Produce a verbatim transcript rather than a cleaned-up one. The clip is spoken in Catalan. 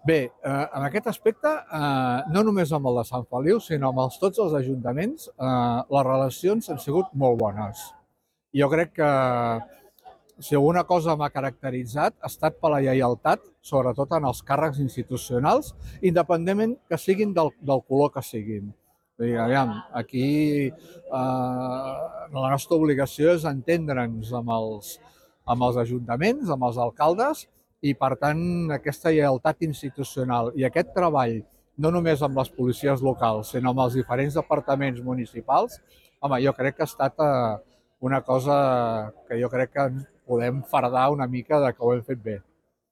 Bé, eh, en aquest aspecte, eh, no només amb el de Sant Feliu, sinó amb els, tots els ajuntaments, eh, les relacions han sigut molt bones. Jo crec que si alguna cosa m'ha caracteritzat ha estat per la lleialtat, sobretot en els càrrecs institucionals, independentment que siguin del, del color que siguin. Vull dir, aviam, aquí eh, la nostra obligació és entendre'ns amb els, amb els ajuntaments, amb els alcaldes, i per tant aquesta lleialtat institucional i aquest treball, no només amb les policies locals, sinó amb els diferents departaments municipals, home, jo crec que ha estat eh, una cosa que jo crec que ens podem fardar una mica de que ho hem fet bé.